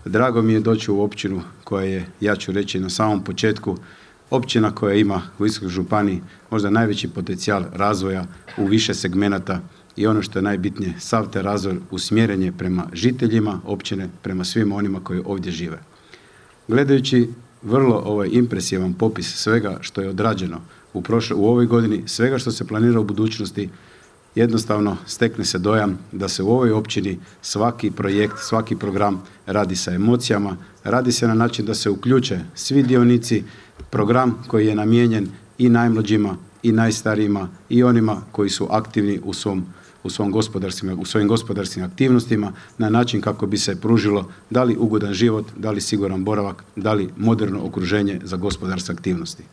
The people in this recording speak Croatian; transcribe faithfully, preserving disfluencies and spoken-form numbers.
Drago mi je doći u općinu koja je, ja ću reći na samom početku, općina koja ima u Istarskoj županiji možda najveći potencijal razvoja u više segmenata i ono što je najbitnije, sav taj razvoj usmjeren je prema žiteljima općine, prema svima onima koji ovdje žive. Gledajući vrlo ovaj impresivan popis svega što je odrađeno u, prošle, u ovoj godini, svega što se planira u budućnosti, jednostavno stekne se dojam da se u ovoj općini svaki projekt, svaki program radi sa emocijama, radi se na način da se uključe svi dionici, program koji je namijenjen i najmlađima i najstarijima i onima koji su aktivni u svom u, svom gospodarskim, u svojim gospodarskim aktivnostima na način kako bi se pružilo da li ugodan život, da li siguran boravak, da li moderno okruženje za gospodarske aktivnosti.